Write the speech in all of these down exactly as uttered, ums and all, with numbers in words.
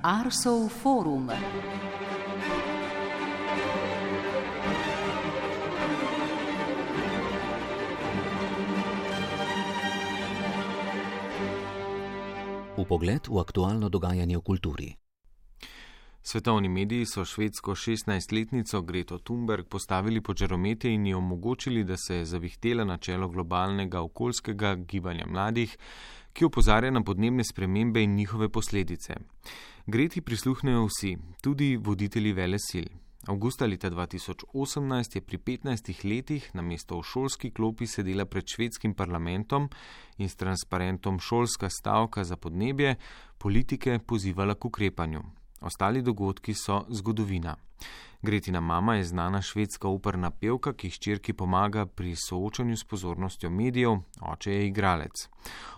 Arsov forum. Vpogled v aktualno dogajanje v kulturi. Svetovni mediji so švedsko šestnajstletnico Greto Thunberg postavili pod žaromete in ji omogočili, da se je zavihtela na čelo globalnega okoljskega gibanja mladih, ki opozarja na podnebne spremembe in njihove posledice. Greti prisluhnejo vsi, tudi voditelji velesil. Avgusta leta dva tisoč osemnajst je pri petnajstih letih namesto v šolski klopi sedela pred švedskim parlamentom in s transparentom Šolska stavka za podnebje politike pozivala k ukrepanju. Ostali dogodki so zgodovina. Gretina mama je znana švedska operna pevka, ki hčerki pomaga pri soočanju s pozornostjo medijev, oče je igralec.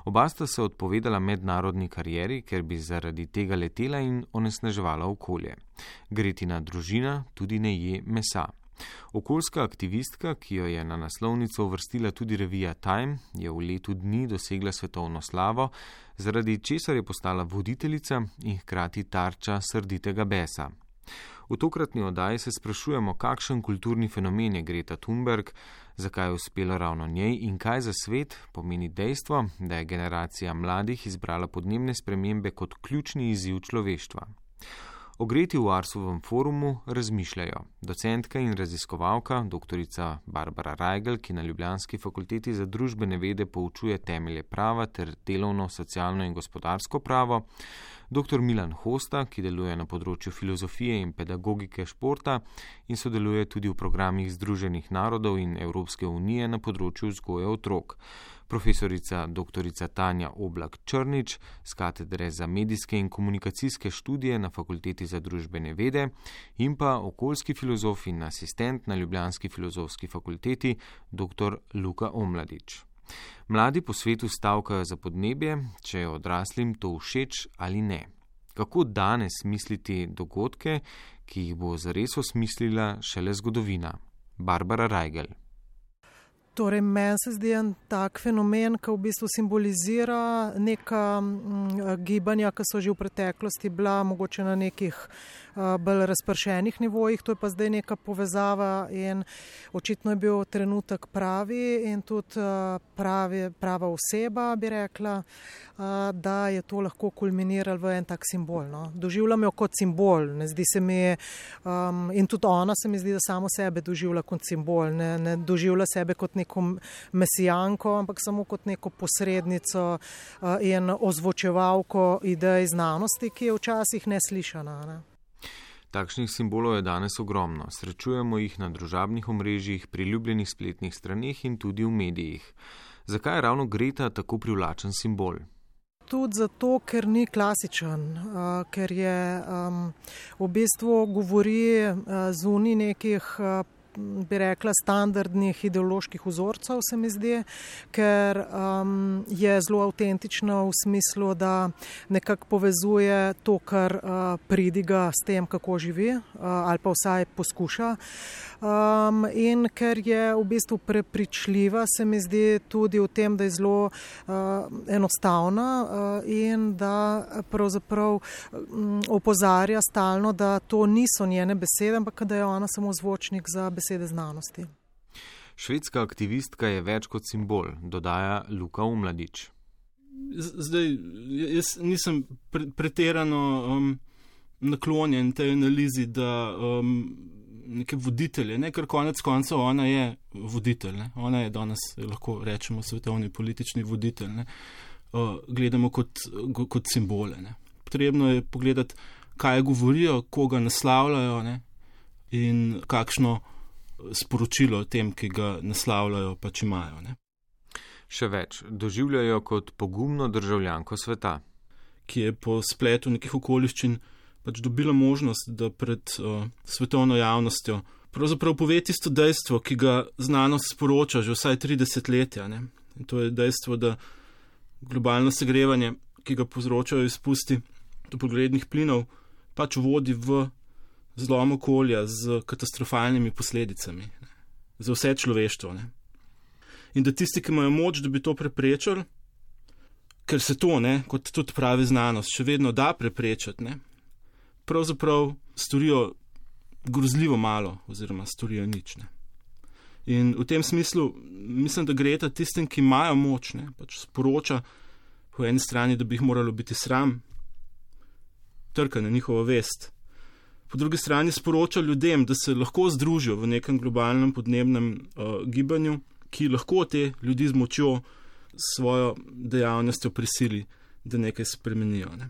Oba sta se odpovedala mednarodni karieri, ker bi zaradi tega letela in onesnaževala okolje. Gretina družina tudi ne je mesa. Okoljska aktivistka, ki jo je na naslovnico uvrstila tudi revija Time, je v letu dni dosegla svetovno slavo, zaradi česar je postala voditeljica in hkrati tarča srditega besa. V tokratni oddaji se sprašujemo, kakšen kulturni fenomen je Greta Thunberg, zakaj je uspelo ravno njej in kaj za svet pomeni dejstvo, da je generacija mladih izbrala podnebne spremembe kot ključni izziv človeštva. O Greti v Arsovem forumu razmišljajo docentka in raziskovalka doktorica Barbara Rajgelj, ki na ljubljanski fakulteti za družbene vede poučuje temelje prava ter delovno, socialno in gospodarsko pravo, doktor Milan Hosta, ki deluje na področju filozofije in pedagogike športa in sodeluje tudi v programih Združenih narodov in Evropske unije na področju vzgoje otrok, profesorica doktorica Tanja Oblak Črnič z katedre za medijske in komunikacijske študije na fakulteti za družbene vede in pa okoljski filozof in asistent na ljubljanski filozofski fakulteti doktor Luka Omladič. Mladi po svetu stavkajo za podnebje, če je odraslim to všeč ali ne. Kako danes misliti dogodke, ki jih bo zares osmislila šele zgodovina? Barbara Rajgelj. Torej, meni se zdi en tak fenomen, ki v bistvu simbolizira neka gibanja, ki so že v preteklosti bila mogoče na nekih bolj razpršenih nivojih, to je pa zdaj neka povezava in očitno je bil trenutek pravi in tudi pravi, prava oseba, bi rekla, da je to lahko kulminiralo v en tak simbol. No. Doživljam jo kot simbol, ne zdi se mi, um, in tudi ona se mi zdi, da samo sebe doživlja kot simbol, ne, ne doživlja sebe kot neko mesijanko, ampak samo kot neko posrednico uh, in ozvočevalko idej znanosti, ki je včasih neslišana. Ne. Takšnih simbolov je danes ogromno. Srečujemo jih na družabnih omrežjih, priljubljenih spletnih straneh in tudi v medijih. Zakaj je ravno Greta tako privlačen simbol? Tudi zato, ker ni klasičen, uh, ker je um, v bistvu govori uh, zunaj nekih uh, bi rekla, standardnih ideoloških vzorcev, se mi zdi, ker um, je zelo avtentično v smislu, da nekako povezuje to, kar uh, pridiga s tem, kako živi, uh, ali pa vsaj poskuša. Um, in ker je v bistvu prepričljiva, se mi zdi tudi v tem, da je zelo uh, enostavna uh, in da pravzaprav um, opozarja stalno, da to niso njene besede, ampak da je ona samo zvočnik za besede znanosti. Švedska aktivistka je več kot simbol, dodaja Luka Omladič. Zdaj, jaz nisem pre, pretirano um, naklonjen tej analizi, da um, neke voditelje, ne, ker konec koncev ona je voditelj, ne. Ona je danes, lahko rečemo, svetovni politični voditelj, ne. Uh, gledamo kot, kot simbole. Ne. Potrebno je pogledati, kaj govorijo, koga naslavljajo, ne, in kakšno sporočilo o tem, ki ga naslavljajo, pač imajo. Ne. Še več, doživljajo kot pogumno državljanko sveta, ki je po spletu nekih okoliščin pač dobila možnost, da pred uh, svetovno javnostjo pravzaprav pove tisto dejstvo, ki ga znanost sporoča že vsaj tri desetletja. Ne. In to je dejstvo, da globalno segrevanje, ki ga povzročajo izpusti toplogrednih plinov, pač vodi v zlom okolja z katastrofalnimi posledicami, ne, za vse človeštvo. Ne. In da tisti, ki imajo moč, da bi to preprečili, ker se to, ne, kot tudi pravi znanost, še vedno da preprečiti, ne, pravzaprav storijo grozljivo malo oziroma storijo nič. Ne. In v tem smislu mislim, da Greta tistim, ki imajo moč, ne, pač sporoča po eni strani, da bi jih moralo biti sram, trka na njihovo vest. Po drugi strani sporoča ljudem, da se lahko združijo v nekem globalnem podnebnem uh, gibanju, ki lahko te ljudi z močjo svojo dejavnostjo prisili, da nekaj spremenijo. Ne.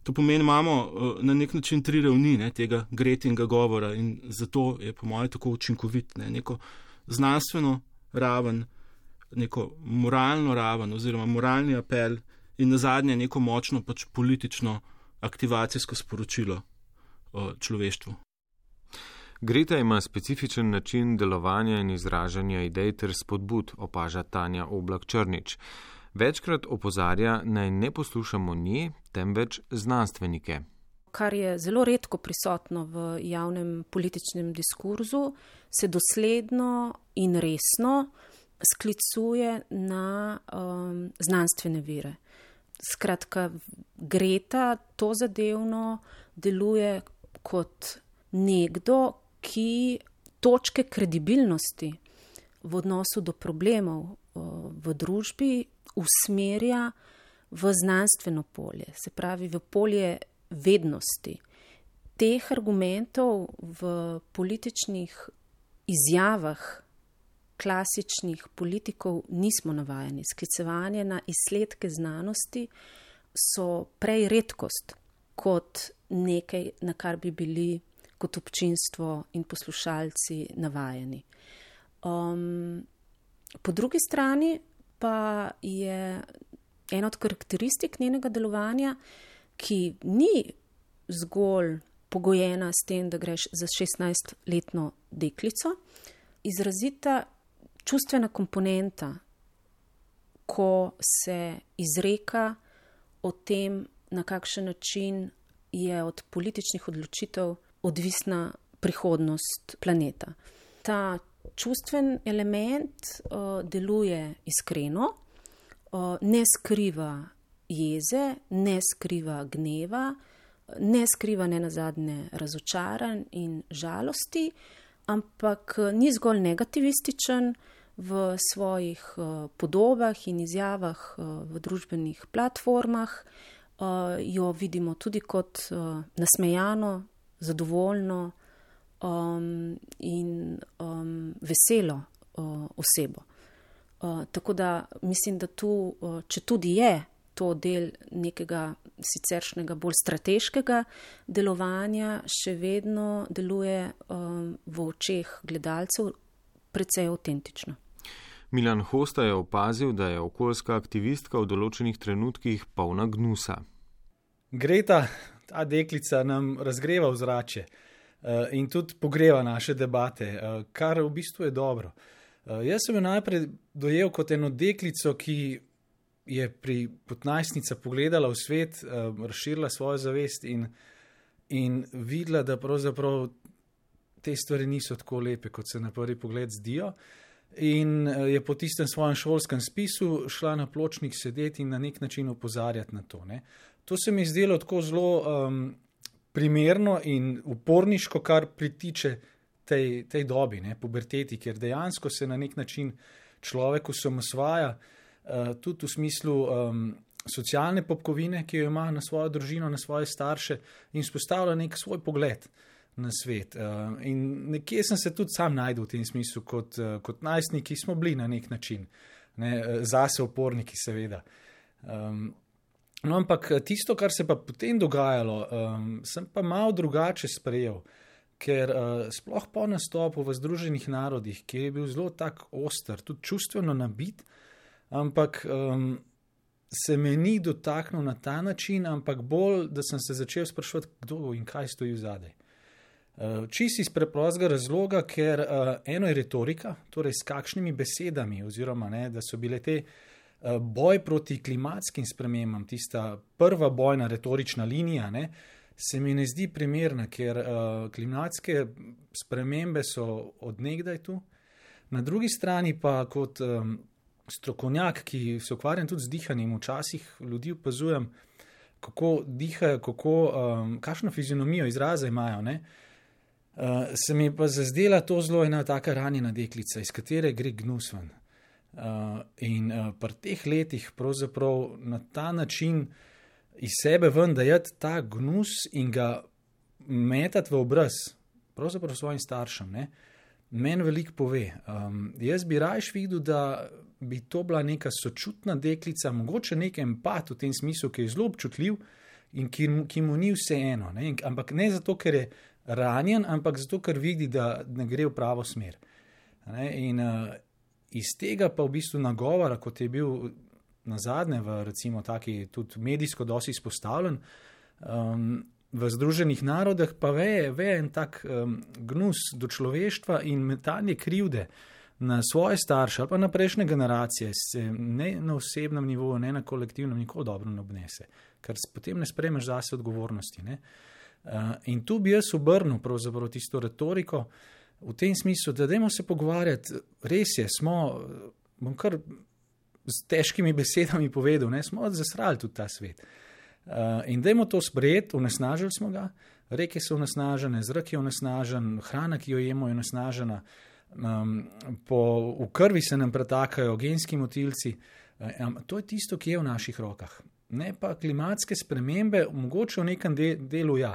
To pomeni, imamo uh, na nek način tri ravni ne, tega Gretinga govora in zato je po mojem tako učinkovit. Ne. Neko znanstveno raven, neko moralno raven oziroma moralni apel in nazadnje neko močno pač politično aktivacijsko sporočilo o človeštvu. Greta ima specifičen način delovanja in izražanja idej ter spodbud, opaža Tanja Oblak-Črnič. Večkrat opozarja, naj ne poslušamo nje, temveč znanstvenike. Kar je zelo redko prisotno v javnem političnem diskurzu, se dosledno in resno sklicuje na um, znanstvene vire. Skratka, Greta to zadevno deluje kot nekdo, ki točke kredibilnosti v odnosu do problemov v družbi usmerja v znanstveno polje, se pravi v polje vednosti. Teh argumentov v političnih izjavah klasičnih politikov nismo navajeni. Sklicevanje na izsledke znanosti so prej redkost kot nekaj, na kar bi bili kot občinstvo in poslušalci navajeni. Um, po drugi strani pa je ena od karakteristik njenega delovanja, ki ni zgolj pogojena s tem, da greš za šestnajstletno deklico, izrazita čustvena komponenta, ko se izreka o tem, na kakšen način je od političnih odločitev odvisna prihodnost planeta. Ta čustven element uh, deluje iskreno, uh, ne skriva jeze, ne skriva gneva, ne skriva nenazadnje razočaranj in žalosti, ampak ni zgolj negativističen v svojih uh, podobah in izjavah uh, v družbenih platformah. Uh, jo vidimo tudi kot uh, nasmejano, zadovoljno um, in um, veselo uh, osebo. Uh, tako da mislim, da tu, uh, če tudi je to del nekega siceršnjega bolj strateškega delovanja, še vedno deluje um, v očeh gledalcev precej avtentično. Milan Hosta je opazil, da je okoljska aktivistka v določenih trenutkih polna gnusa. Greta, ta deklica nam razgreva ozračje uh, in tudi pogreva naše debate, uh, kar v bistvu je dobro. Uh, jaz sem jo najprej dojel kot eno deklico, ki je pri petnajstnica pogledala v svet, uh, razširila svojo zavest in, in videla, da pravzaprav te stvari niso tako lepe, kot se na prvi pogled zdijo. In je po tistem svojem šolskem spisu šla na pločnik sedeti in na nek način opozarjati na to. Ne. To se mi zdelo tako zelo um, primerno in uporniško, kar pritiče tej, tej dobi, ne, puberteti, ker dejansko se na nek način človek osamosvaja, uh, tudi v smislu um, socialne popkovine, ki jo ima na svojo družino, na svoje starše in spostavlja nek svoj pogled na svet. Uh, in nekje sem se tudi sam najdel v tem smislu, kot, uh, kot najstniki smo bili na nek način, ne, zase oporniki seveda. Um, no, ampak tisto, kar se pa potem dogajalo, um, sem pa malo drugače sprejel, ker uh, sploh po nastopu v Združenih narodih, kjer je bil zelo tak oster, tudi čustveno nabit, ampak um, se me ni dotaknil na ta način, ampak bolj, da sem se začel spraševati, kdo in kaj stoji vzadej. Uh, čisto iz preprostega razloga, ker uh, eno je retorika, torej s kakšnimi besedami, oziroma ne, da so bile te uh, boj proti klimatskim spremembam, tista prva bojna retorična linija, ne, se mi ne zdi primerna, ker uh, klimatske spremembe so od nekdaj tu. Na drugi strani pa kot um, strokovnjak, ki se ukvarjam tudi z dihanjem, včasih ljudi opazujem, kako dihajo, kako, um, kakšno fizionomijo izraza imajo, ne. Uh, se mi pa zazdela to zelo ena taka ranjena deklica, iz katere gre gnus ven. Uh, in uh, pri teh letih pravzaprav na ta način iz sebe ven dajati ta gnus in ga metati v obraz, pravzaprav svojim staršem, ne, meni veliko pove. Um, jaz bi rajš videl, da bi to bila neka sočutna deklica, mogoče nek empat v tem smislu, ki je zelo občutljiv in ki, ki mu ni vseeno, ne, ampak ne zato, ker je ranjen, ampak zato, ker vidi, da ne gre v pravo smer. Ne, in uh, iz tega pa v bistvu nagovora, kot je bil nazadnje v recimo taki tudi medijsko dosti izpostavljen, um, v Združenih narodih pa veje, veje en tak um, gnus do človeštva in metanje krivde na svoje starše ali pa na prejšnje generacije se ne na osebnem nivoju, ne na kolektivnem nikoli dobro ne obnese, ker potem ne sprejmeš zase odgovornosti, ne. Uh, in tu bi jaz obrnil pravzaprav tisto retoriko v tem smislu, da dajmo se pogovarjati, res je, smo, bom kar z težkimi besedami povedal, ne, smo zasrali tudi ta svet. Uh, in dajmo to sprejeti, onesnažili smo ga, reke so onesnažene, zrak je onesnažen, hrana, ki jo jemo, je onesnažena, um, po, v krvi se nam pretakajo genski motilci, um, to je tisto, ki je v naših rokah. Ne pa klimatske spremembe, mogoče v nekem de, delu ja.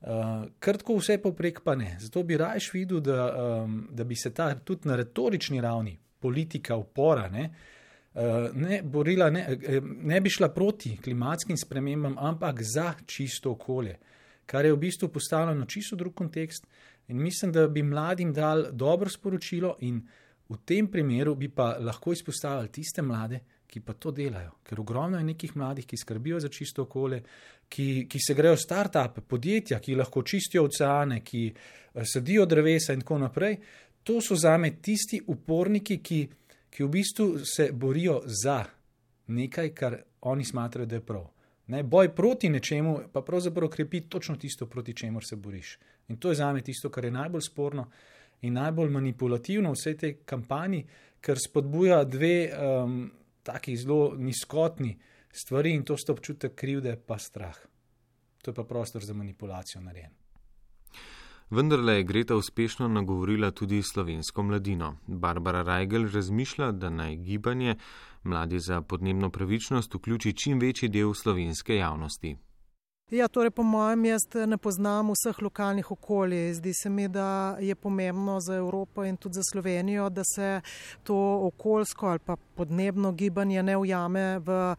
Uh, kar tako vse povprek pa ne. Zato bi rajš videl, da, um, da bi se ta tudi na retorični ravni politika upora ne, uh, ne borila, ne, ne bi šla proti klimatskim spremembam, ampak za čisto okolje, kar je v bistvu postavljeno čisto drug kontekst in mislim, da bi mladim dal dobro sporočilo in v tem primeru bi pa lahko izpostavili tiste mlade, ki pa to delajo, ker ogromno je nekih mladih, ki skrbijo za čisto okolje, ki, ki se grejo start-upe, podjetja, ki lahko čistijo oceane, ki sadijo drevesa in tako naprej. To so zame tisti uporniki, ki, ki v bistvu se borijo za nekaj, kar oni smatrajo, da je prav. Ne, boj proti nečemu pa pravzaprav krepi točno tisto, proti čemur se boriš. In to je zame tisto, kar je najbolj sporno in najbolj manipulativno v vsej tej kampanji, ker spodbuja dve um, taki zelo nizkotni stvari in to sta občutek krivde pa strah. To je pa prostor za manipulacijo narejen. Vendarle je Greta uspešno nagovorila tudi slovensko mladino. Barbara Rajgelj razmišlja, da naj gibanje Mladi za podnebno pravičnost vključi čim večji del slovenske javnosti. Ja, torej po mojem jaz ne poznam vseh lokalnih okolij. Zdi se mi, da je pomembno za Evropo in tudi za Slovenijo, da se to okoljsko ali pa podnebno gibanje ne ujame v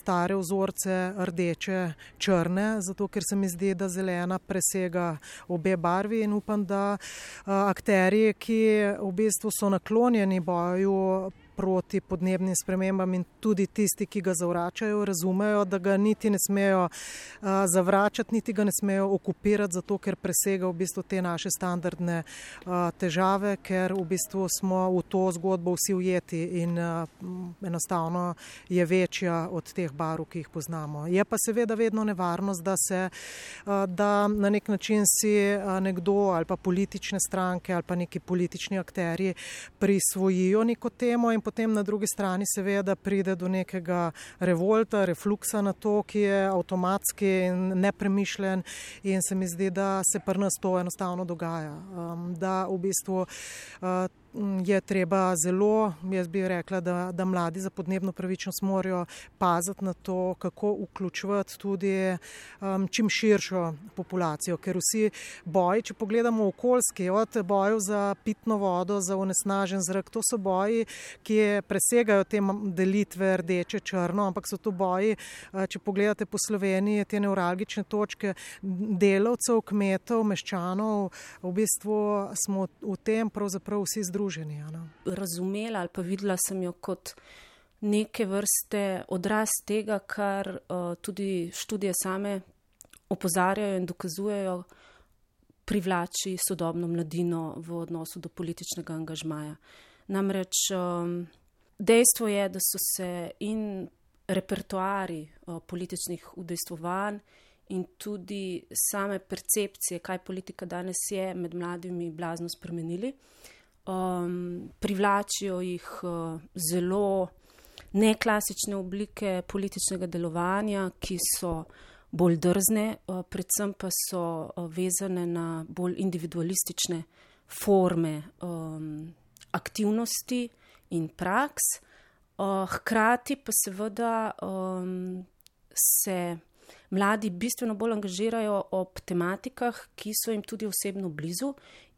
stare vzorce rdeče, črne, zato ker se mi zdi, da zelena presega obe barvi in upam, da akterji, ki v bistvu so naklonjeni boju proti podnebnim spremembam in tudi tisti, ki ga zavračajo, razumejo, da ga niti ne smejo uh, zavračati, niti ga ne smejo okupirati, zato ker presega v bistvu te naše standardne uh, težave, ker v bistvu smo v to zgodbo vsi ujeti in uh, enostavno je večja od teh barv, ki jih poznamo. Je pa seveda vedno nevarnost, da se uh, da na nek način si uh, nekdo ali pa politične stranke ali pa neki politični akterji prisvojijo neko temo in potem na drugi strani seveda pride do nekega revolta, refluksa na to, ki je avtomatski in nepremišljen in se mi zdi, da se pri nas to enostavno dogaja. Um, da v bistvu uh, je treba zelo, jaz bi rekla, da, da mladi za podnebno pravičnost morajo paziti na to, kako vključevati tudi um, čim širšo populacijo, ker vsi boji, če pogledamo okoljski, od bojev za pitno vodo, za onesnažen zrak, to so boji, ki presegajo te delitve rdeče, črno, ampak so to boji, če pogledate po Sloveniji, te nevralgične točke delavcev, kmetov, meščanov, v bistvu smo v tem pravzaprav vsi združeni. Razumela ali pa videla sem jo kot neke vrste odraz tega, kar uh, tudi študije same opozarjajo in dokazujejo, privlači sodobno mladino v odnosu do političnega angažmaja. Namreč um, dejstvo je, da so se in repertoari uh, političnih udejstvovanj in tudi same percepcije, kaj politika danes je, med mladimi blazno spremenili. Um, privlačijo jih uh, zelo neklasične oblike političnega delovanja, ki so bolj drzne, predvsem pa so vezane na bolj individualistične forme um, aktivnosti in praks. Uh, hkrati pa seveda um, se mladi bistveno bolj angažirajo ob tematikah, ki so jim tudi osebno blizu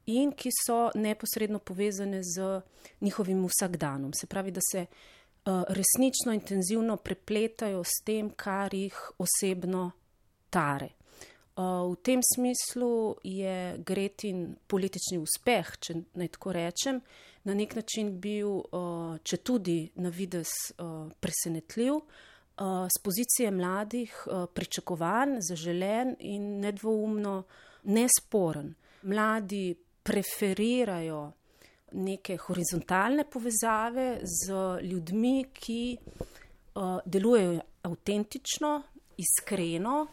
in ki so neposredno povezane z njihovim vsakdanom. Se pravi, da se uh, resnično intenzivno prepletajo s tem, kar jih osebno tare. Uh, v tem smislu je Gretin politični uspeh, če naj tako rečem, na nek način bil, uh, če tudi na videz uh, presenetljiv, uh, z pozicije mladih uh, pričakovan, zaželen in nedvoumno nesporen. Mladi preferirajo neke horizontalne povezave z ljudmi, ki uh, delujejo avtentično, iskreno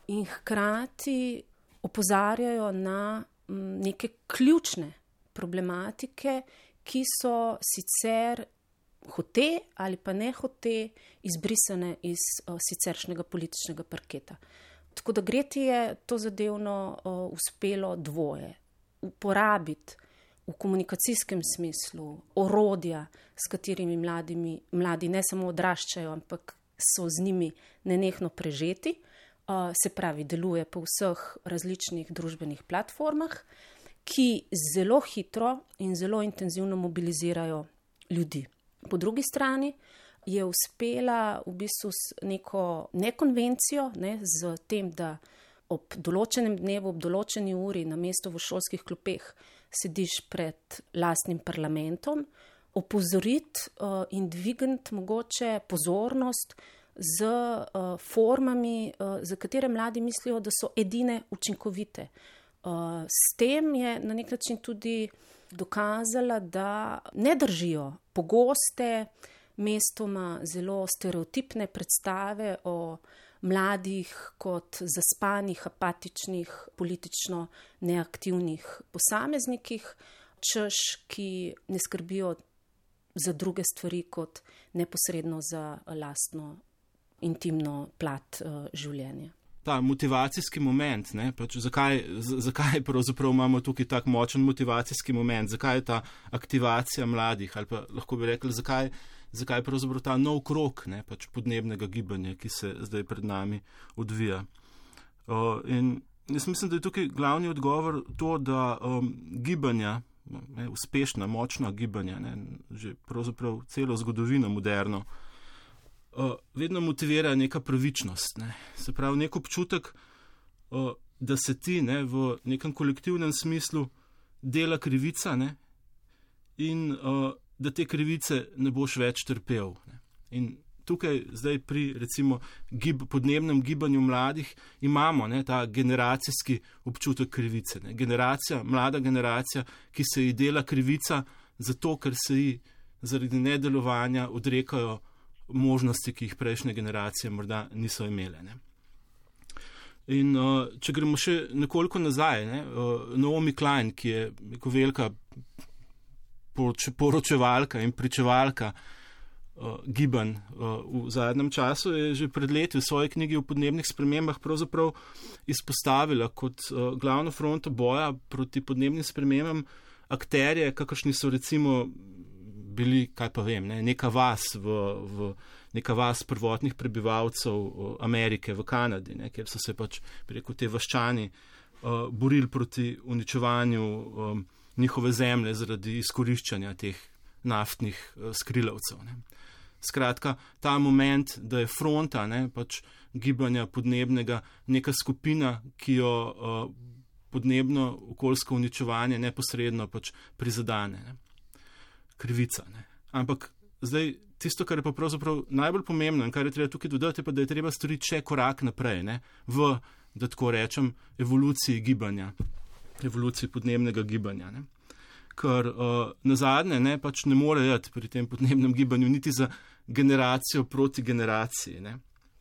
in hkrati opozarjajo na m, neke ključne problematike, ki so sicer hote ali pa ne hote izbrisane iz uh, siceršnjega političnega parketa. Tako da Greti je to zadevno uh, uspelo dvoje. Uporabiti v komunikacijskem smislu orodja, s katerimi mladimi, mladi ne samo odraščajo, ampak so z njimi nenehno prežeti, uh, se pravi, deluje po vseh različnih družbenih platformah, ki zelo hitro in zelo intenzivno mobilizirajo ljudi. Po drugi strani je uspela v bistvu s neko nekonvencijo, ne, z tem, da ob določenem dnevu, ob določeni uri na mesto v šolskih klopeh sediš pred lastnim parlamentom, opozoriti uh, in dvigniti mogoče pozornost z uh, formami, uh, za katere mladi mislijo, da so edine učinkovite. Uh, s tem je na nek način tudi dokazala, da ne držijo pogoste, mestoma zelo stereotipne predstave o mladih kot zaspanih, apatičnih, politično neaktivnih posameznikih, češ, ki ne skrbijo za druge stvari kot neposredno za lastno intimno plat uh, življenja. Ta motivacijski moment, ne, pač zakaj, z, zakaj pravzaprav imamo tukaj tak močen motivacijski moment, zakaj je ta aktivacija mladih, ali pa lahko bi rekli, zakaj, zakaj pravzaprav ta nov krog, ne, pač podnebnega gibanja, ki se zdaj pred nami odvija. Uh, in jaz mislim, da je tukaj glavni odgovor to, da um, gibanja, ne, uspešna, močna gibanja, ne, že pravzaprav celo zgodovino moderno, Uh, vedno motivira neka pravičnost, ne. Se pravi, nek občutek, uh, da se ti, ne, v nekem kolektivnem smislu dela krivica, ne, in uh, da te krivice ne boš več trpel. Ne. In tukaj zdaj pri recimo gib, podnebnem gibanju mladih imamo, ne, ta generacijski občutek krivice. Ne. Generacija, mlada generacija, ki se ji dela krivica zato, ker se ji zaradi nedelovanja odrekajo možnosti, ki jih prejšnje generacije morda niso imele. Ne. In uh, če gremo še nekoliko nazaj, ne, uh, Naomi Klein, ki je neko velika poroč, poročevalka in pričevalka uh, gibanj uh, v zadnjem času, je že pred leti v svoji knjigi o podnebnih spremembah pravzaprav izpostavila kot uh, glavno fronto boja proti podnebnim spremembam akterje, kakršni so recimo bili, kaj pa vem, ne, neka vas v, v neka vas prvotnih prebivalcev Amerike v Kanadi, ne, kjer so se pač, bi rekel, te vaščani uh, borili proti uničevanju um, njihove zemlje zaradi izkoriščanja teh naftnih uh, skrilavcev. Ne. Skratka, ta moment, da je fronta, ne, pač gibanja podnebnega neka skupina, ki jo uh, podnebno okoljsko uničevanje neposredno pač prizadane. Ne. Krivica. Ne. Ampak zdaj tisto, kar je pa pravzaprav najbolj pomembno in kar je treba tukaj dodati, pa da je treba storiti še korak naprej, ne, v, da tako rečem, evoluciji gibanja, evoluciji podnebnega gibanja. Ne. Ker uh, nazadnje ne, pač ne more jeti pri tem podnebnem gibanju niti za generacijo proti generaciji. Ne.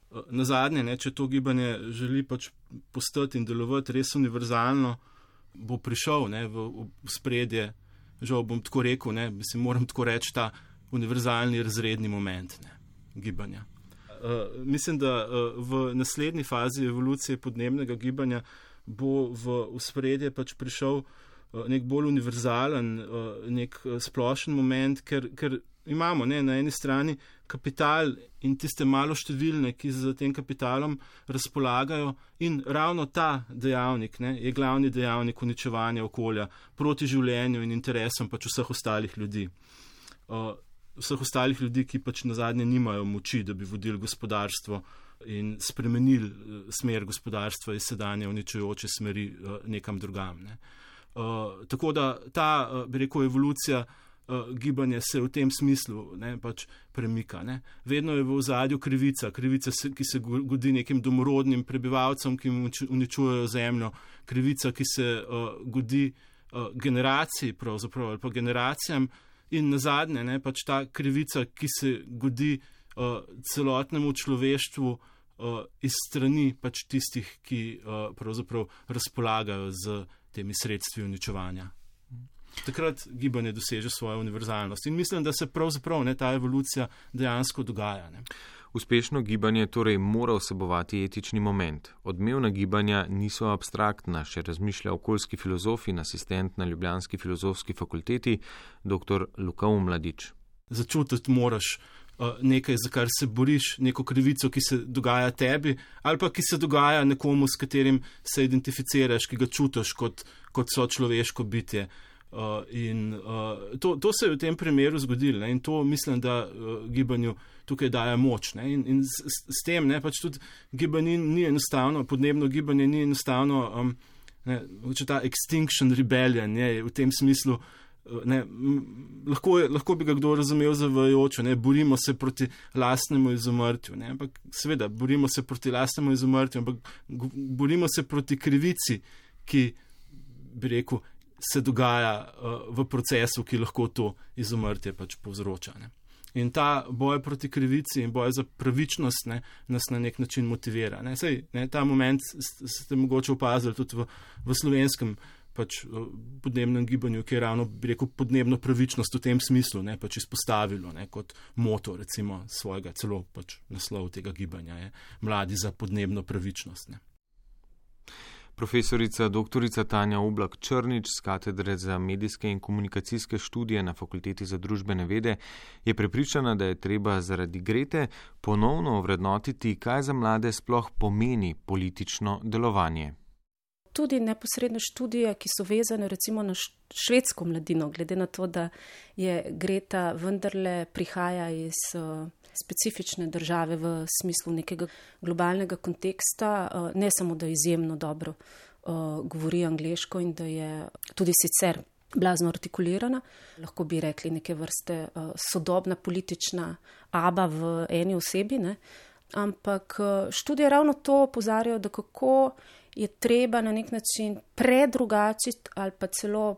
Uh, nazadnje, ne, če to gibanje želi pač postati in delovati res univerzalno, bo prišel, ne, v, v spredje, žal bom tako rekel, ne, mislim, moram tako reči, ta univerzalni razredni moment, ne, gibanja. Uh, mislim, da uh, v naslednji fazi evolucije podnebnega gibanja bo v ospredje pač prišel uh, nek bolj univerzalen, uh, nek uh, splošen moment, ker, ker imamo ne, na eni strani kapital in tiste malo številne, ki z tem kapitalom razpolagajo, in ravno ta dejavnik ne, je glavni dejavnik uničevanja okolja proti življenju in interesom pač vseh ostalih ljudi. Uh, vseh ostalih ljudi, ki pač nazadnje nimajo moči, da bi vodili gospodarstvo in spremenili smer gospodarstva iz sedanje uničujoče smeri nekam drugam. Ne. Uh, tako da ta, bi rekel, evolucija uh, gibanja se v tem smislu ne, pač premika. Ne. Vedno je v ozadju krivica, krivica, ki se godi nekim domorodnim prebivalcem, ki uničujejo zemljo, krivica, ki se uh, godi uh, generaciji pravzaprav ali pa generacijam, in nazadnje, ne, pač ta krivica, ki se godi uh, celotnemu človeštvu uh, iz strani pač tistih, ki uh, pravzaprav razpolagajo z temi sredstvi uničevanja. Takrat gibanje doseže svojo univerzalnost. In mislim, da se pravzaprav ne, ta evolucija dejansko dogaja. Ne. Uspešno gibanje torej mora vsebovati etični moment. Odmevna gibanja niso abstraktna, še razmišlja okoljski filozof in asistent na ljubljanski filozofski fakulteti, dr. Luka Omladič. Začutiti moraš uh, nekaj, za kar se boriš, neko krivico, ki se dogaja tebi, ali pa ki se dogaja nekomu, s katerim se identificiraš, ki ga čutiš kot, kot so človeško bitje. Uh, in uh, to, to se je v tem primeru zgodilo, ne? In to mislim, da uh, gibanju tukaj daje moč. Ne? In, in s, s tem ne, pač tudi gibanje ni enostavno, podnebno gibanje ni enostavno, um, ne, ta extinction rebellion je v tem smislu, uh, ne, m, lahko, je, lahko bi ga kdo razumel zavajajoče, ne, borimo se proti lastnemu izumrtju, ne? Ampak seveda, borimo se proti lastnemu izumrtju, ampak borimo se proti krivici, ki bi rekel, se dogaja uh, v procesu, ki lahko to izumrtje pač povzroča. Ne. In ta boj proti krivici in boj za pravičnost ne, nas na nek način motivira. Ne. Sej, ne, ta moment ste mogoče opazili tudi v, v slovenskem pač, uh, podnebnem gibanju, ki je ravno, bi rekel, podnebno pravičnost v tem smislu ne, pač izpostavilo ne, kot moto recimo svojega, celo pač naslov tega gibanja je Mladi za podnebno pravičnost. Ne. Profesorica doktorica Tanja Oblak Črnič z katedre za medijske in komunikacijske študije na Fakulteti za družbene vede je prepričana, da je treba zaradi Grete ponovno ovrednotiti, kaj za mlade sploh pomeni politično delovanje. Tudi neposredne študije, ki so vezane recimo na švedsko mladino, glede na to, da je Greta vendarle prihaja iz specifične države v smislu nekega globalnega konteksta, ne samo, da izjemno dobro govori angleško in da je tudi sicer blazno artikulirana, lahko bi rekli neke vrste sodobna politična aba v eni osebi, ne? Ampak študije ravno to opozarjajo, da kako je treba na nek način predrugačiti ali pa celo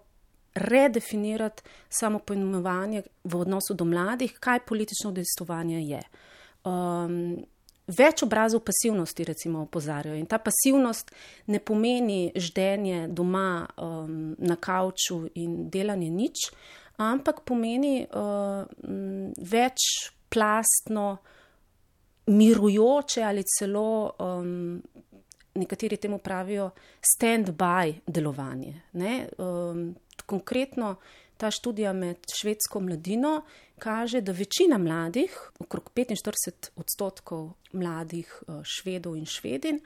redefinirati samo poimenovanje v odnosu do mladih, kaj politično udejstvovanje je. Um, več obrazov pasivnosti recimo opozarjajo in ta pasivnost ne pomeni ždenje doma um, na kavču in delanje nič, ampak pomeni uh, večplastno, mirujoče ali celo um, nekateri temu pravijo stand-by delovanje. Ne? Um, konkretno ta študija med švedsko mladino kaže, da večina mladih, okrog petinštirideset odstotkov mladih Švedov in Švedin,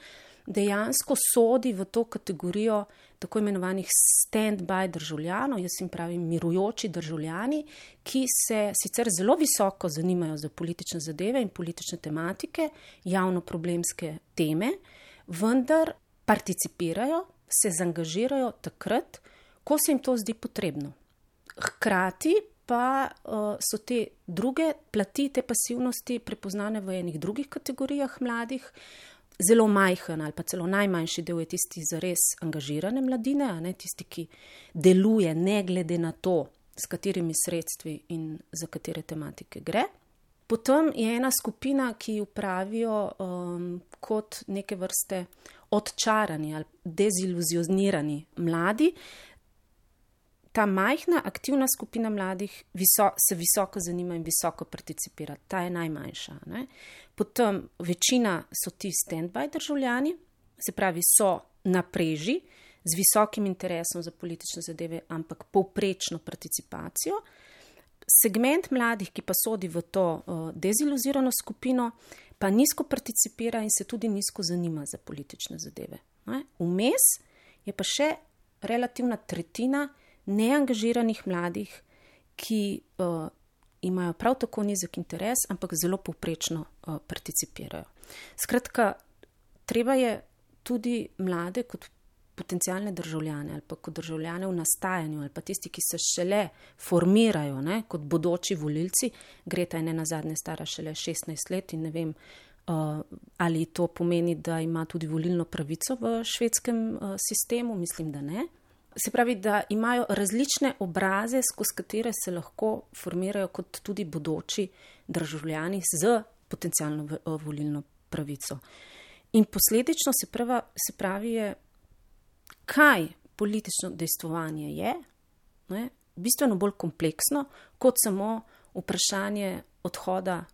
dejansko sodi v to kategorijo tako imenovanih stand-by državljanov, jaz jim pravim mirujoči državljani, ki se sicer zelo visoko zanimajo za politične zadeve in politične tematike, javno-problemske teme, vendar participirajo, se zaangažirajo takrat, ko se jim to zdi potrebno. Hkrati pa uh, so te druge plati, te pasivnosti prepoznane v enih drugih kategorijah mladih. Zelo majhen ali pa celo najmanjši del je tisti zares angažirane mladine, a ne tisti, ki deluje ne glede na to, s katerimi sredstvi in za katere tematike gre. Potem je ena skupina, ki jo pravijo um, kot neke vrste odčarani ali deziluzionirani mladi, ta majhna aktivna skupina mladih viso, se visoko zanima in visoko participira. Ta je najmanjša. Ne? Potem večina so ti stand-by državljani, se pravi so na preži z visokim interesom za politične zadeve, ampak povprečno participacijo. Segment mladih, ki pa sodi v to uh, deziluzirano skupino, pa nizko participira in se tudi nizko zanima za politične zadeve. Ne? Vmes je pa še relativna tretjina neangažiranih mladih, ki uh, imajo prav tako nizek interes, ampak zelo povprečno uh, participirajo. Skratka, treba je tudi mlade kot potencialne državljane ali pa kot državljane v nastajanju ali pa tisti, ki se šele formirajo, ne, kot bodoči volilci. Greta je ne nazadnje stara šele šestnajst let in ne vem, uh, ali to pomeni, da ima tudi volilno pravico v švedskem uh, sistemu, mislim, da ne. Se pravi, da imajo različne obraze, skozi katere se lahko formirajo kot tudi bodoči državljani z potencialno uh, volilno pravico. In posledično se, prava, se pravi je, kaj politično dejstvovanje je, ne, bistveno bolj kompleksno, kot samo vprašanje odhoda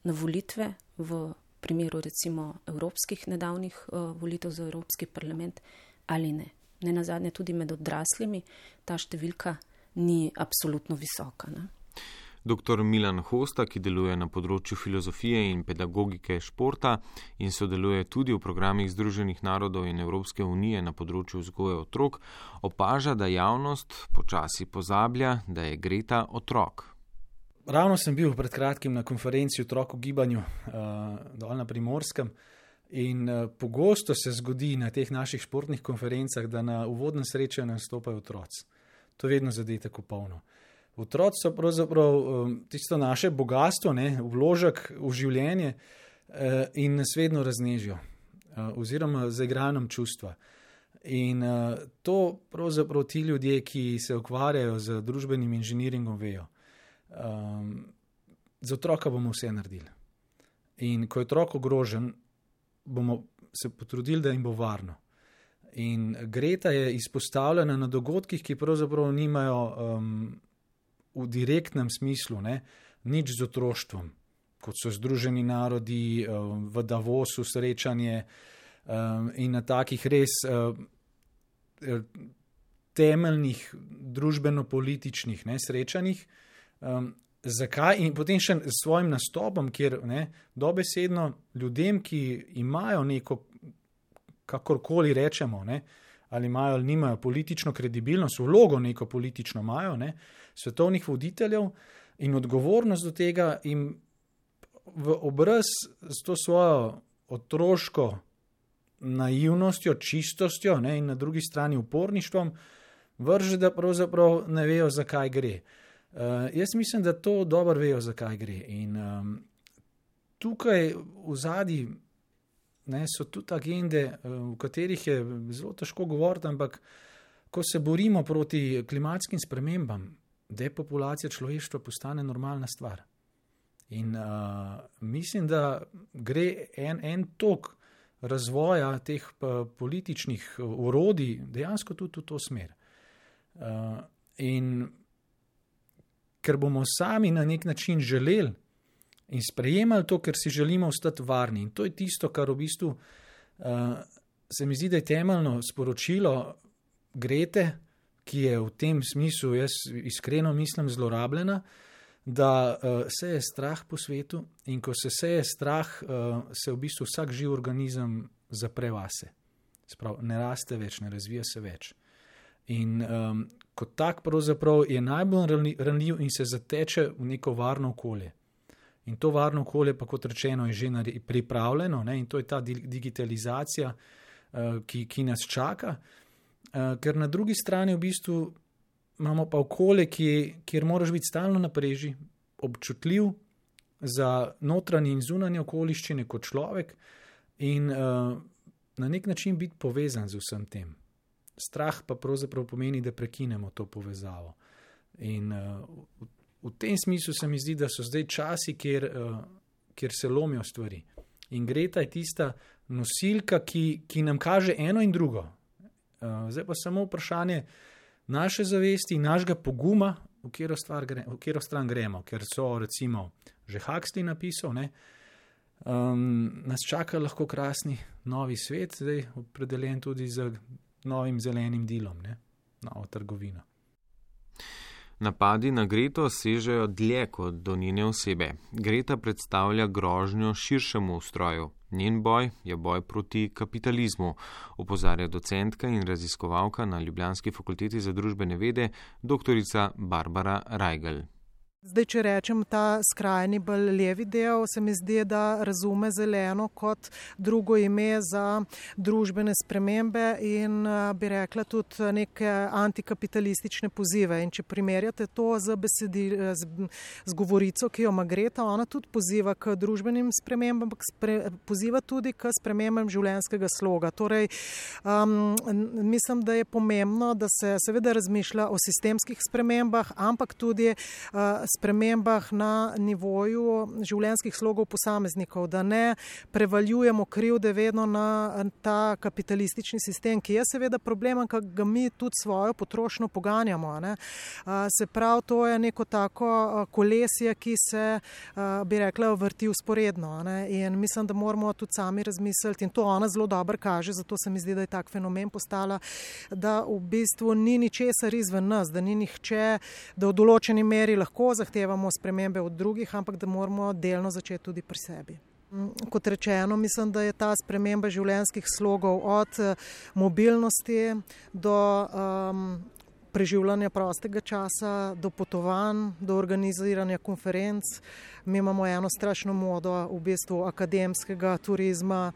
na volitve v primeru recimo evropskih nedavnih uh, volitev za Evropski parlament ali ne. Ne nazadnje tudi med odraslimi ta številka ni absolutno visoka. Ne. Doktor Milan Hosta, ki deluje na področju filozofije in pedagogike športa in sodeluje tudi v programih Združenih narodov in Evropske unije na področju vzgoje otrok, opaža, da javnost počasi pozablja, da je Greta otrok. Ravno sem bil pred kratkim na konferenci Otrok v gibanju uh, dol na Primorskem in uh, pogosto se zgodi na teh naših športnih konferencah, da na uvodnem srečanju nastopajo otroci. To je vedno zadetek v polno. Otroci so pravzaprav um, tisto naše bogatstvo, ne, vložek v življenje uh, in nas vedno raznežijo uh, oziroma zaigrajo nam čustva. In uh, to pravzaprav ti ljudje, ki se ukvarjajo z družbenim inženiringom, vejo. Um, za otroka bomo vse naredili. In ko je otrok ogrožen, bomo se potrudili, da jim bo varno. In Greta je izpostavljena na dogodkih, ki pravzaprav nimajo um, v direktnem smislu, ne, nič z otroštvom, kot so Združeni narodi, v Davosu srečanje in na takih res temeljnih družbeno-političnih ne, srečanjih. Zakaj? In potem še s svojim nastopom, kjer ne, dobesedno ljudem, ki imajo neko, kakorkoli rečemo, ne, ali imajo ali nimajo politično kredibilnost, vlogo neko politično imajo, ne, svetovnih voditeljev in odgovornost do tega jim v obraz s to svojo otroško naivnostjo, čistostjo ne, in na drugi strani uporništvom vrže, da pravzaprav ne vejo, zakaj gre. Uh, jaz mislim, da to dobro vejo, zakaj gre. In um, tukaj v zadnji Ne, so tudi agende, v katerih je zelo težko govoriti, ampak ko se borimo proti klimatskim spremembam, depopulacija človeštva postane normalna stvar. In uh, mislim, da gre en, en tok razvoja teh političnih orodij dejansko tudi v to smer. Uh, in ker bomo sami na nek način želeli in sprejemali to, ker si želimo ostati varni. In to je tisto, kar v bistvu uh, se mi zdi, da je temeljno sporočilo Grete, ki je v tem smislu, jaz iskreno mislim, zlorabljena, da uh, se je strah po svetu in ko se seje strah, uh, se v bistvu vsak živ organizem zapre vase. Sprav, ne raste več, ne razvija se več. In um, kot tak pravzaprav je najbolj ranljiv in se zateče v neko varno okolje. In to varno okolje, pa kot rečeno, je že pripravljeno, ne? In to je ta digitalizacija, uh, ki, ki nas čaka, uh, ker na drugi strani v bistvu imamo pa okolje, ki, kjer moraš biti stalno na preži, občutljiv za notranje in zunanje okoliščine kot človek in uh, na nek način biti povezan z vsem tem. Strah pa pravzaprav pomeni, da prekinemo to povezavo. In uh, v tem smislu se mi zdi, da so zdaj časi, kjer, uh, kjer se lomijo stvari. In Greta je tista nosilka, ki, ki nam kaže eno in drugo. Uh, zdaj pa samo vprašanje, naše zavesti in našega poguma, v katero, stvar gre, v katero stran gremo, ker so recimo že Huxley napisal, ne, um, nas čaka lahko krasni novi svet, zdaj opredeljen tudi z novim zelenim dilom, ne, novo trgovino. Napadi na Greto sežejo dlje kot do njene osebe. Greta predstavlja grožnjo širšemu ustroju. Njen boj je boj proti kapitalizmu, opozarja docentka in raziskovalka na Ljubljanski fakulteti za družbene vede, doktorica Barbara Rajgl. Zdaj, če rečem ta skrajni bolj levi del, se mi zdi, da razume zeleno kot drugo ime za družbene spremembe in bi rekla tudi neke antikapitalistične pozive. In če primerjate to z, besedi, z, z govorico, ki jo ima Greta, ona tudi poziva k družbenim spremembam, ampak spre, poziva tudi k spremembam življenjskega sloga. Torej, um, mislim, da je pomembno, da se seveda razmišlja o sistemskih spremembah, ampak tudi uh, spremembah na nivoju življenjskih slogov posameznikov, da ne prevaljujemo krivde vedno na ta kapitalistični sistem, ki je seveda problem, ker ga mi tudi svojo potrošnjo poganjamo. Ne. Se pravi, to je neko tako kolesje, ki se, bi rekla, vrti usporedno. Ne. In mislim, da moramo tudi sami razmisliti, in to ona zelo dobro kaže, zato se mi zdi, da je tak fenomen postala, da v bistvu ni ničesar izven nas, da ni nihče, da v določeni meri lahko zahtevamo spremembe od drugih, ampak da moramo delno začeti tudi pri sebi. Kot rečeno, mislim, da je ta sprememba življenjskih slogov od mobilnosti do um, preživljanja prostega časa, do potovanj, do organiziranja konferenc. Mi imamo eno strašno modo v bistvu akademskega turizma,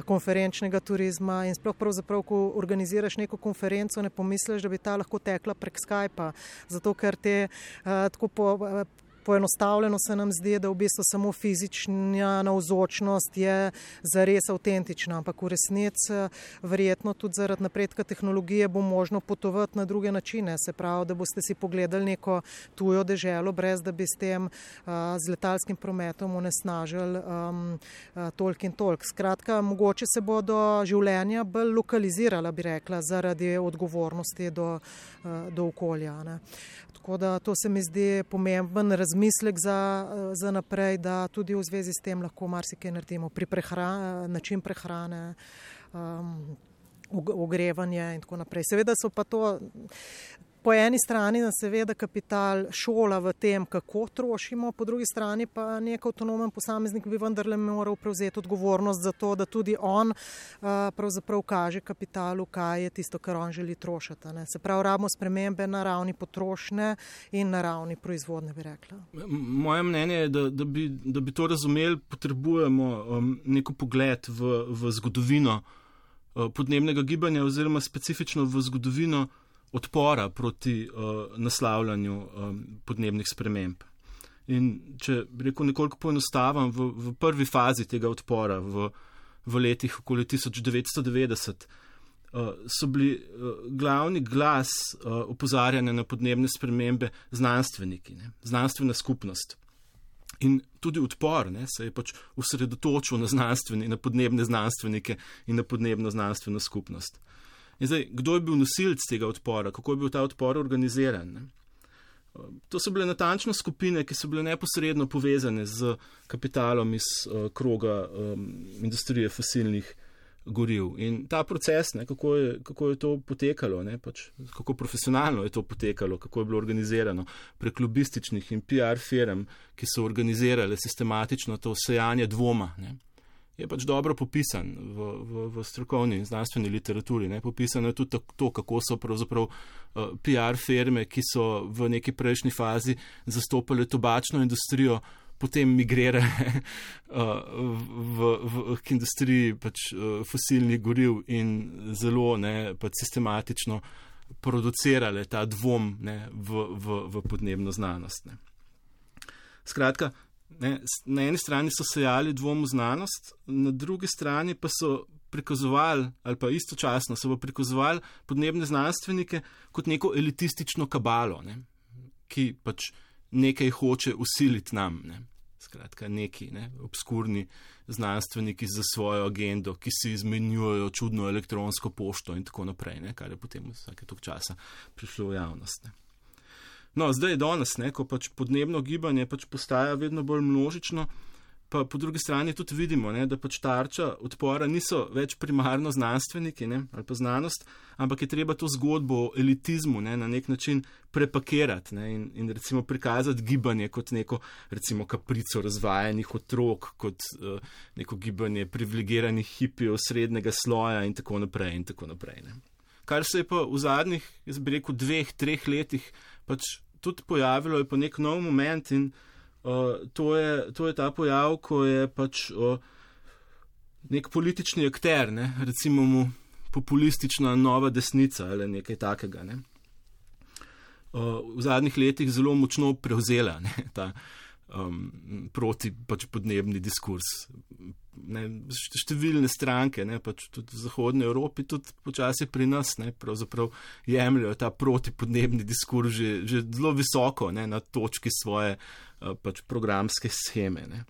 konferenčnega turizma in sploh pravzaprav, ko organiziraš neko konferenco, ne pomisliš, da bi ta lahko tekla prek Skypa, zato ker te uh, tako po, uh, poenostavljeno se nam zdi, da v bistvu samo fizična navzočnost je zares avtentična, ampak v resnici verjetno tudi zaradi napredka tehnologije bo možno potovati na druge načine, se pravi, da boste si pogledali neko tujo deželo, brez da bi s tem uh, z letalskim prometom onesnažili um, uh, toliko in toliko. Skratka, mogoče se bodo življenja bolj lokalizirala, bi rekla, zaradi odgovornosti do, uh, do okolja. Ne. Tako da to se mi zdi pomemben razmislek za, za naprej, da tudi v zvezi s tem lahko marsikaj naredimo pri prehrani, način prehrane, um, ogrevanje in tako naprej. Seveda so pa to po eni strani nas seveda kapital šola v tem, kako trošimo, po drugi strani pa nek avtonomen posameznik bi vendarle moral prevzeti odgovornost za to, da tudi on uh, pravzaprav kaže kapitalu, kaj je tisto, kar on želi trošiti. Ne. Se pravi, rabimo spremembe na ravni potrošnje in na ravni proizvodne, bi rekla. Moje mnenje je, da, da, bi, da bi to razumeli, potrebujemo um, neko pogled v, v zgodovino uh, podnebnega gibanja oziroma specifično v zgodovino odpora proti uh, naslavljanju um, podnebnih sprememb. In če bi rekel nekoliko poenostavim, v, v prvi fazi tega odpora v, v letih okoli tisoč devetsto devetdeset uh, so bili uh, glavni glas uh, opozarjanja na podnebne spremembe znanstveniki, ne, znanstvena skupnost. In tudi odpor ne, se je pač osredotočil na znanstveni, na podnebne znanstvenike in na podnebno znanstveno skupnost. In zdaj, kdo je bil nosilec tega odpora, kako je bil ta odpor organiziran? Ne? To so bile natančno skupine, ki so bile neposredno povezane z kapitalom iz uh, kroga um, industrije fosilnih goriv. In ta proces, ne, kako, je, kako je to potekalo, ne, pač, kako profesionalno je to potekalo, kako je bilo organizirano prek lobističnih in P R firm, ki so organizirale sistematično to sejanje dvoma, ne, je pač dobro popisan v, v, v strokovni in znanstveni literaturi. Ne. Popisano je tudi to, kako so pravzaprav uh, P R firme, ki so v neki prejšnji fazi zastopale tobačno industrijo, potem migrirale uh, v, v, k industriji pač, uh, fosilnih goriv in zelo ne, pač sistematično producirale ta dvom ne, v, v, v podnebno znanost. Ne. Skratka, Ne, na eni strani so sejali dvom v znanost, na drugi strani pa so prikazovali, ali pa istočasno so pa prikazovali podnebne znanstvenike kot neko elitistično kabalo, ne, ki pač nekaj hoče usiliti nam. Ne. skratka neki ne, obskurni znanstveniki za svojo agendo, ki si izmenjujejo čudno elektronsko pošto in tako naprej, ne, kar je potem vsake toliko časa prišlo v javnost. Ne. No, zdaj je danes, ne, ko pač podnebno gibanje pač postaja vedno bolj množično, pa po drugi strani tudi vidimo, ne, da pač tarča odpora niso več primarno znanstveniki, ne, ali pa znanost, ampak je treba to zgodbo o elitizmu, ne, na nek način prepakirati, ne, in, in recimo prikazati gibanje kot neko recimo kaprico razvajenih otrok, kot uh, neko gibanje privilegiranih hipijev srednjega sloja in tako naprej in tako naprej. Ne. Kar se je pa v zadnjih, jaz bi rekel, dveh, treh letih pač tudi pojavilo, je pa nek nov moment in Uh, to, je, to je ta pojav, ko je pač uh, nek politični akter, ne, recimo mu populistična nova desnica ali nekaj takega, ne, uh, v zadnjih letih zelo močno prevzela, ne, ta um, proti pač podnebni diskurs. Ne, številne stranke, ne, pač tudi v Zahodnji Evropi, tudi počasi pri nas, ne, pravzaprav jemljajo ta protipodnebni diskurs že, že zelo visoko, ne, na točki svoje uh, pač programske sheme. Ne.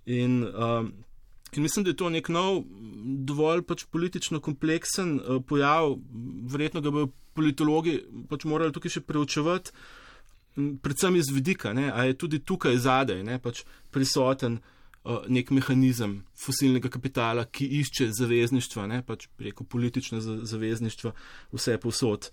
In, um, in mislim, da je to nek nov, dovolj pač politično kompleksen uh, pojav, verjetno ga bodo politologi pač morali tukaj še preučevati, predvsem iz vidika, ne, a je tudi tukaj zadaj, ne, pač prisoten nek mehanizem fosilnega kapitala, ki išče zavezništva, ne, pač preko politične zavezništva vse povsod.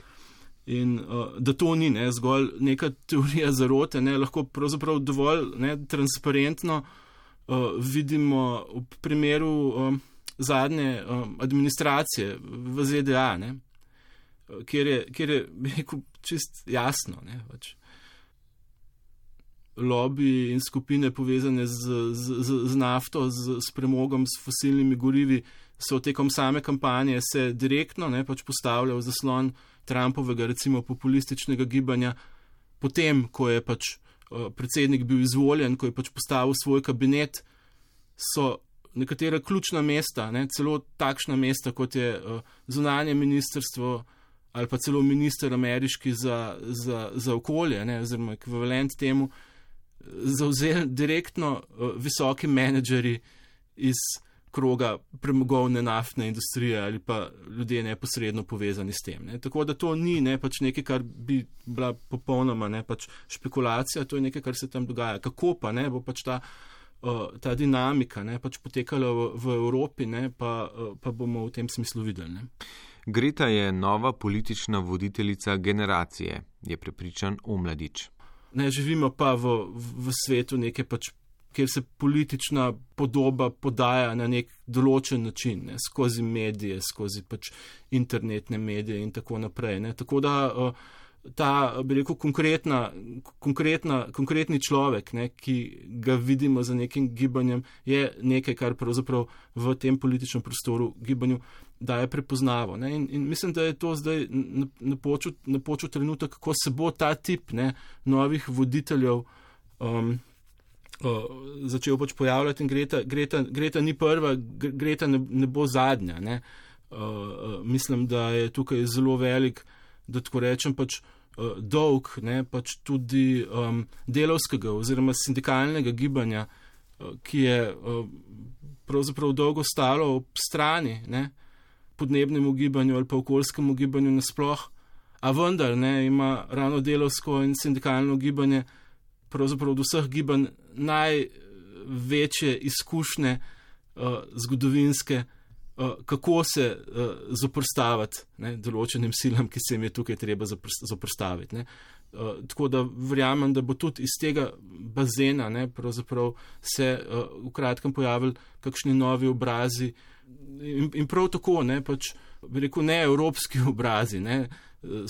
In uh, da to ni ne, zgolj neka teorija zarote, ne, lahko pravzaprav dovolj ne, transparentno uh, vidimo v primeru um, zadnje um, administracije v Z D A, ne, kjer je, kjer je rekel, čist jasno, ne, pač lobiji in skupine povezane z, z, z, z nafto, z, s premogom, s fosilnimi gorivi, so tekom same kampanje se direktno ne, pač postavljal zaslon Trumpovega recimo populističnega gibanja, potem, ko je pač uh, predsednik bil izvoljen, ko je pač postavil svoj kabinet, so nekatera ključna mesta, ne, celo takšna mesta, kot je uh, zunanje ministrstvo ali pa celo minister ameriški za, za, za okolje, ne, oziroma ekvivalent temu, zavzeli direktno uh, visoki menedžeri iz kroga premogovne naftne industrije ali pa ljudje neposredno povezani s tem. Ne. Tako da to ni ne, pač nekaj, kar bi bila popolnoma ne, pač špekulacija, to je nekaj, kar se tam dogaja. Kako pa ne, bo pač ta, uh, ta dinamika ne, pač potekala v, v Evropi, ne, pa, uh, pa bomo v tem smislu videli. Ne. Greta je nova politična voditeljica generacije, je prepričan Omladič. Ne, živimo pa v, v svetu neke pač, kjer se politična podoba podaja na nek določen način, ne, skozi medije, skozi pač internetne medije in tako naprej. Ne. Tako da ta, bi rekel, konkretna, konkretna, konkretni človek, ne, ki ga vidimo za nekim gibanjem, je nekaj, kar pravzaprav v tem političnem prostoru gibanju daje prepoznavo. Ne. In, in mislim, da je to zdaj napočil, napočil trenutek, kako se bo ta tip ne, novih voditeljev um, uh, začel pač pojavljati in Greta, Greta, Greta ni prva, Greta ne, ne bo zadnja. Ne. Uh, uh, mislim, da je tukaj zelo velik, da tako rečem, pač uh, dolg, ne, pač tudi um, delavskega oziroma sindikalnega gibanja, uh, ki je uh, pravzaprav dolgo stalo ob strani, ne, podnebnemu gibanju ali pa okoljskemu gibanju nasploh, a vendar ne, ima ravno delavsko in sindikalno gibanje pravzaprav od vseh gibanj največje izkušnje uh, zgodovinske, uh, kako se uh, zoprstaviti ne, določenim silam, ki se jim je tukaj treba zoprstaviti. Ne. Uh, tako da verjamem, da bo tudi iz tega bazena ne, pravzaprav se uh, v kratkem pojavili kakšni novi obrazi. In, in prav tako, ne, pač, bi rekel, ne evropski obrazi ne,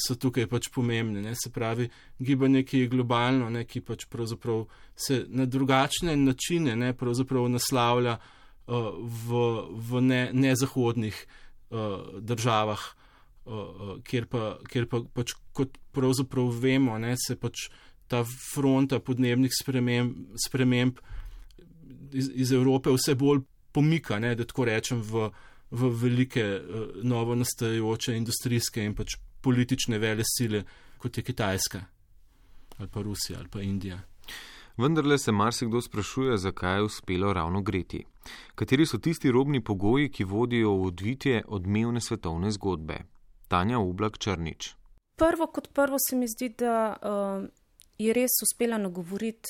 so tukaj pač pomembni. Ne, se pravi, gibanje, ki je globalno, ne, ki pač pravzaprav se na drugačne načine ne, pravzaprav naslavlja uh, v, v ne, nezahodnih uh, državah, uh, kjer pa, kjer pa pač, kot pravzaprav vemo, ne, se pač ta fronta podnebnih sprememb, sprememb iz, iz Evrope vse bolj pomika, ne, da tako rečem, v, v velike uh, novo nastajajoče industrijske in pač politične vele sile, kot je Kitajska ali pa Rusija ali pa Indija. Vendarle se marsikdo sprašuje, zakaj je uspelo ravno Greti. Kateri so tisti robni pogoji, ki vodijo v odvitje odmevne svetovne zgodbe? Tanja Oblak Črnič. Prvo kot prvo se mi zdi, da uh, je res uspela nagovoriti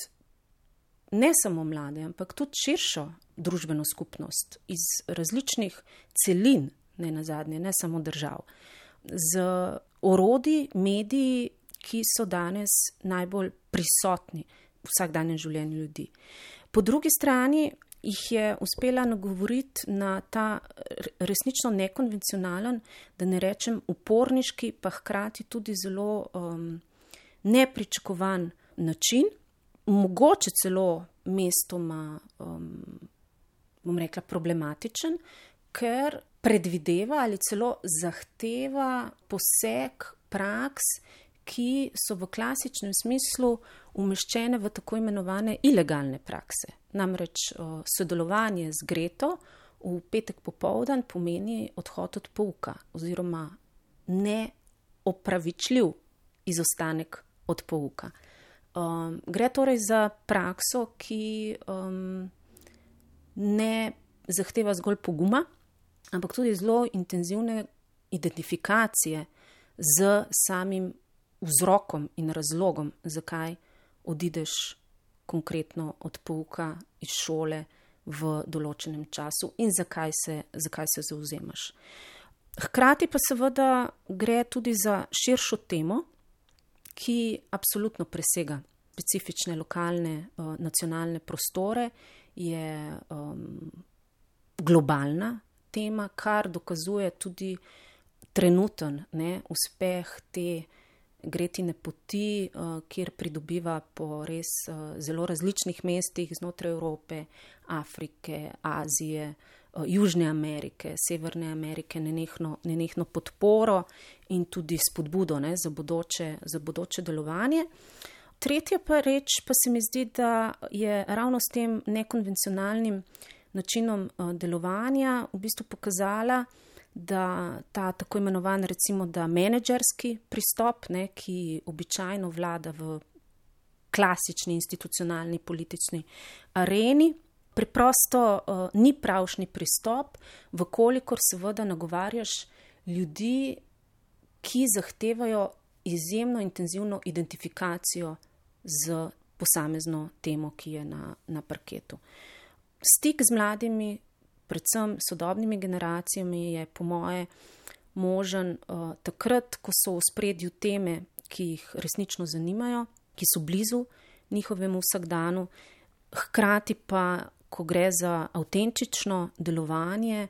ne samo mlade, ampak tudi širšo družbeno skupnost iz različnih celin, ne nazadnje, ne samo držav, z orodji, mediji, ki so danes najbolj prisotni v vsakdanjem življenju ljudi. Po drugi strani jih je uspela nagovoriti na ta resnično nekonvencionalen, da ne rečem uporniški, pa hkrati tudi zelo um, nepričakovan način, mogoče celo mestoma, um, bom rekla, problematičen, ker predvideva ali celo zahteva poseg praks, ki so v klasičnem smislu umeščene v tako imenovane ilegalne prakse. Namreč o, sodelovanje z Greto v petek popoldan pomeni odhod od pouka oziroma neopravičljiv izostanek od pouka. Um, gre torej za prakso, ki um, ne zahteva zgolj poguma, ampak tudi zelo intenzivne identifikacije z samim vzrokom in razlogom, zakaj odideš konkretno od pouka iz šole v določenem času in zakaj se, zakaj se zauzemaš. Hkrati pa seveda gre tudi za širšo temo, ki absolutno presega specifične lokalne, uh, nacionalne prostore, je um, globalna tema, kar dokazuje tudi trenuten ne, uspeh te Gretine poti, uh, kjer pridobiva po res uh, zelo različnih mestih znotraj Evrope, Afrike, Azije, uh, Južne Amerike, Severne Amerike, nenehno, nenehno podporo in tudi spodbudo ne, za, bodoče, za bodoče delovanje. Tretja pa reč pa se mi zdi, da je ravno s tem nekonvencionalnim načinom uh, delovanja v bistvu pokazala, da ta tako imenovan recimo da menedžerski pristop, ne, ki običajno vlada v klasični institucionalni politični areni, preprosto uh, ni pravšnji pristop, vkolikor seveda nagovarjaš ljudi, ki zahtevajo izjemno intenzivno identifikacijo z posamezno temo, ki je na, na parketu. Stik z mladimi, predvsem sodobnimi generacijami, je po moje možen uh, takrat, ko so v ospredju teme, ki jih resnično zanimajo, ki so blizu njihovemu vsakdanu, hkrati pa, ko gre za avtentično delovanje,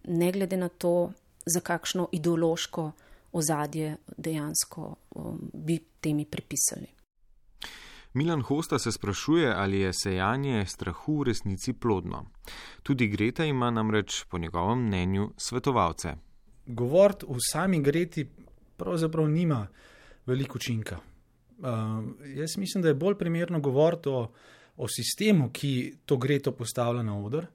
ne glede na to, za kakšno ideološko ozadje dejansko um, bi temi pripisali. Milan Hosta se sprašuje, ali je sejanje strahu v resnici plodno. Tudi Greta ima namreč po njegovem mnenju svetovalce. Govoriti o sami Greti pravzaprav nima veliko učinka. Uh, jaz mislim, da je bolj primerno govoriti o, o sistemu, ki to Greto postavlja na oder.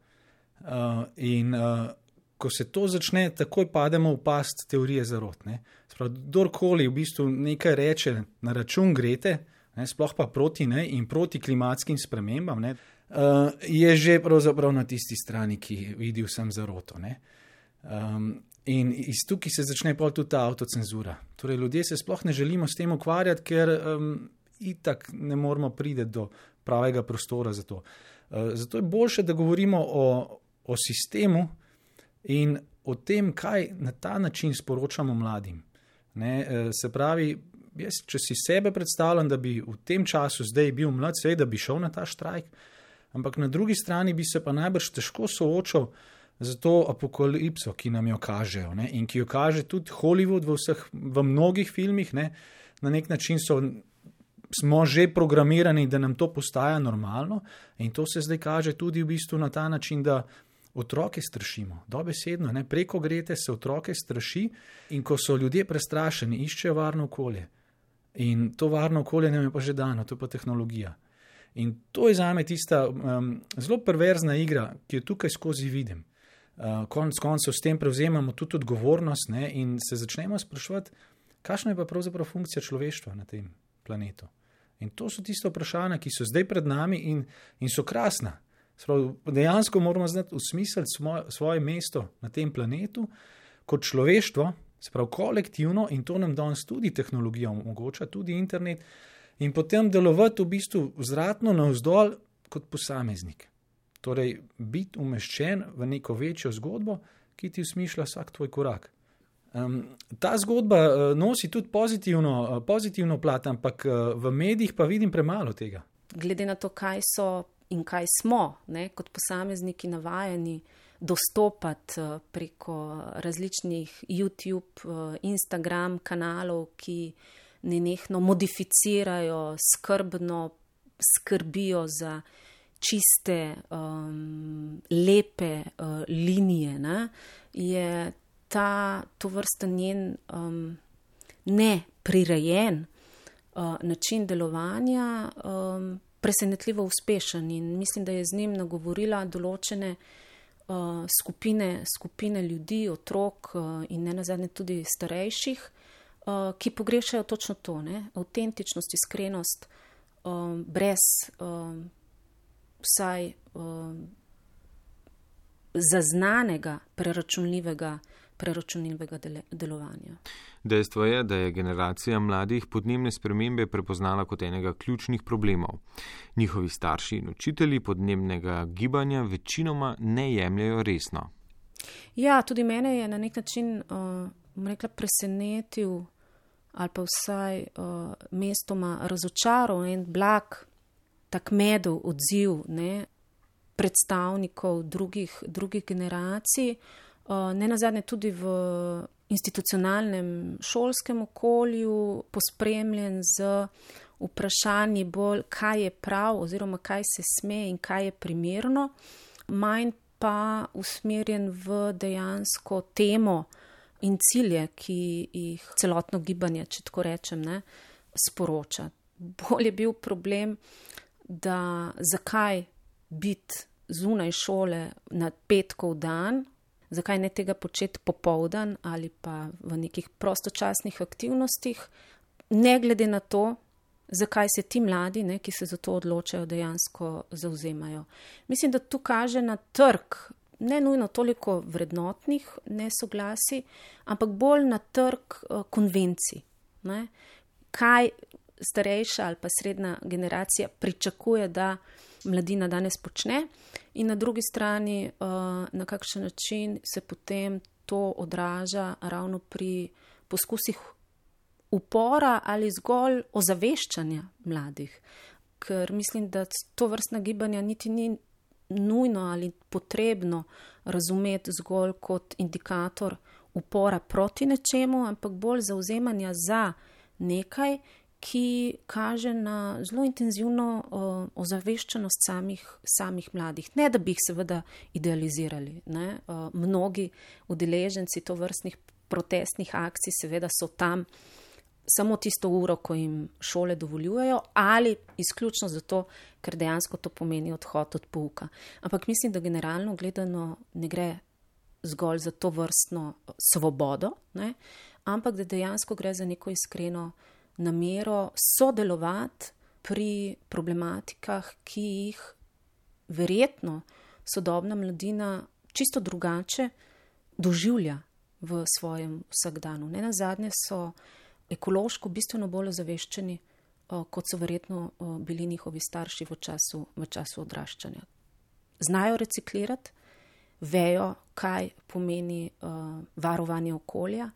Uh, in uh, ko se to začne, takoj pademo v past teorije zarot. Ne? Sprav, kdorkoli v bistvu nekaj reče na račun Grete, ne, sploh pa proti ne, in proti klimatskim spremembam, ne, uh, je že pravzaprav na tisti strani, ki vidi vsem zaroto. Ne. Um, in iz tukaj se začne pol tudi ta avtocenzura. Torej, ljudje se sploh ne želimo s tem ukvarjati, ker um, itak ne moramo priti do pravega prostora za to. Uh, zato je boljše, da govorimo o, o sistemu in o tem, kaj na ta način sporočamo mladim. Ne, uh, se pravi, jaz, če si sebe predstavljam, da bi v tem času zdaj bil mlad, seveda bi šel na ta štrajk, ampak na drugi strani bi se pa najbrž težko soočal z to apokalipso, ki nam jo kažejo, ne, in ki jo kaže tudi Hollywood v, vseh, v mnogih filmih. Ne, na nek način so, smo že programirani, da nam to postaja normalno, in to se zdaj kaže tudi v bistvu na ta način, da otroke strašimo, dobesedno, ne, preko Grete se otroke straši, in ko so ljudje prestrašeni, iščejo varno okolje. In to varno okolje nam je pa že dano, to je pa tehnologija. In to je zame tista um, zelo perverzna igra, ki jo tukaj skozi vidim. Uh, konc koncev s tem prevzemamo tudi odgovornost, ne, in se začnemo spraševati, kakšna je pa pravzaprav funkcija človeštva na tem planetu. In to so tiste vprašanja, ki so zdaj pred nami in, in so krasna. Sprav, dejansko moramo znati usmisliti svoje, svoje mesto na tem planetu kot človeštvo, sprav kolektivno, in to nam danes tudi tehnologija omogoča, tudi internet, in potem delovati v bistvu vzratno navzdol kot posameznik. Torej, biti umeščen v neko večjo zgodbo, ki ti usmišlja vsak tvoj korak. Um, ta zgodba uh, nosi tudi pozitivno, uh, pozitivno plat, ampak uh, v medijih pa vidim premalo tega. Glede na to, kaj so in kaj smo, ne, kot posamezniki navajeni dostopati uh, preko različnih YouTube, uh, Instagram kanalov, ki nenehno modificirajo, skrbno skrbijo za čiste, um, lepe uh, linije, ne, je ta tovrsten njen um, neprirejen uh, način delovanja um, presenetljivo uspešen, in mislim, da je z njim nagovorila določene uh, skupine, skupine ljudi, otrok uh, in ne nazadnje tudi starejših, uh, ki pogrešajo točno to, ne, avtentičnost, iskrenost, um, brez um, vsaj um, zaznanega, preračunljivega preračunljivega delovanja. Dejstvo je, da je generacija mladih podnebne spremembe prepoznala kot enega ključnih problemov. Njihovi starši in učitelji podnebnega gibanja večinoma ne jemljajo resno. Ja, tudi mene je na nek način uh, rekla, presenetil ali pa vsaj uh, mestoma razočaral en blag, tak medov odziv, ne, predstavnikov drugih, drugih generacij, ne nazadnje tudi v institucionalnem šolskem okolju, pospremljen z vprašanji bolj, kaj je prav oziroma kaj se sme in kaj je primerno, manj pa usmerjen v dejansko temo in cilje, ki jih celotno gibanje, če tako rečem, ne, sporoča. Bolj je bil problem, da zakaj biti zunaj šole na petkov dan, zakaj ne tega početi popoldan ali pa v nekih prostočasnih aktivnostih, ne glede na to, zakaj se ti mladi, ne, ki se za to odločajo, dejansko zauzemajo. Mislim, da tu kaže na trg, ne nujno toliko vrednotnih nesoglasij, ampak bolj na trg uh, konvencij. Ne. Kaj starejša ali pa srednja generacija pričakuje, da mladina danes počne, in na drugi strani, na kakšen način se potem to odraža ravno pri poskusih upora ali zgolj ozaveščanja mladih. Ker mislim, da to vrstna gibanja niti ni nujno ali potrebno razumeti zgolj kot indikator upora proti nečemu, ampak bolj zauzemanja za nekaj, ki kaže na zelo intenzivno uh, ozaveščenost samih, samih mladih. Ne, da bi jih seveda idealizirali. Ne? Uh, mnogi udeleženci tovrstnih protestnih akcij seveda so tam samo tisto uro, ko jim šole dovoljujejo, ali izključno zato, ker dejansko to pomeni odhod od pouka. Ampak mislim, da generalno gledano ne gre zgolj za to vrstno svobodo, ne? Ampak da dejansko gre za neko iskreno namero sodelovati pri problematikah, ki jih verjetno sodobna mladina čisto drugače doživlja v svojem vsakdanu. Ne nazadnje so ekološko bistveno bolj ozaveščeni, kot so verjetno bili njihovi starši v času, v času odraščanja. Znajo reciklirati, vejo, kaj pomeni uh, varovanje okolja.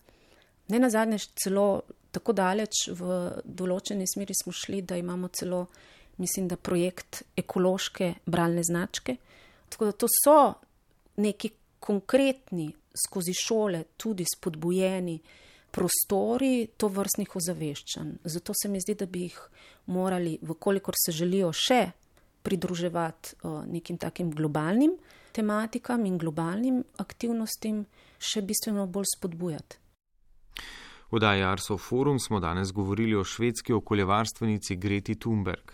Ne nazadnje celo tako daleč v določeni smeri smo šli, da imamo celo, mislim, da projekt ekološke bralne značke. Tako da to so neki konkretni, skozi šole tudi spodbujeni prostori tovrstnih ozaveščanj. Zato se mi zdi, da bi jih morali, vkolikor se želijo še pridruževati uh, nekim takim globalnim tematikam in globalnim aktivnostim, še bistveno bolj spodbujati. V oddaji Arso Forum smo danes govorili o švedski okoljevarstvenici Greti Thunberg.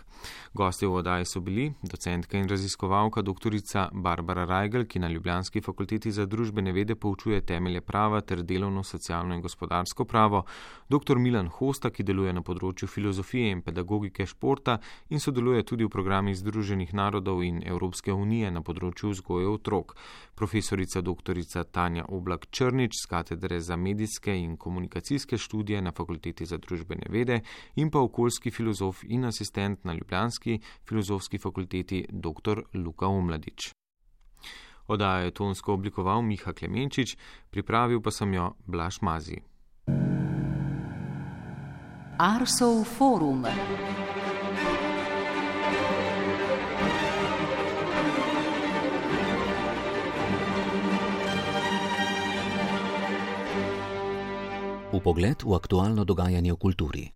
Gostje v oddaji so bili docentka in raziskovalka doktorica Barbara Rajgl, ki na Ljubljanski fakulteti za družbene vede poučuje temelje prava ter delovno, socialno in gospodarsko pravo, doktor Milan Hosta, ki deluje na področju filozofije in pedagogike športa in sodeluje tudi v programih Združenih narodov in Evropske unije na področju vzgoje otrok, profesorica doktorica Tanja Oblak Črnič z katedre za medijske in komunikacijske študije na fakulteti za družbene vede in pa okoljski filozof in asistent na Ljubljanski filozofski fakulteti doktor Luka Omladič. Oddajo je tonsko oblikoval Miha Klemenčič, pripravil pa sem jo Blaž Mazi. Arsov forum. Vpogled v aktualno dogajanje v kulturi.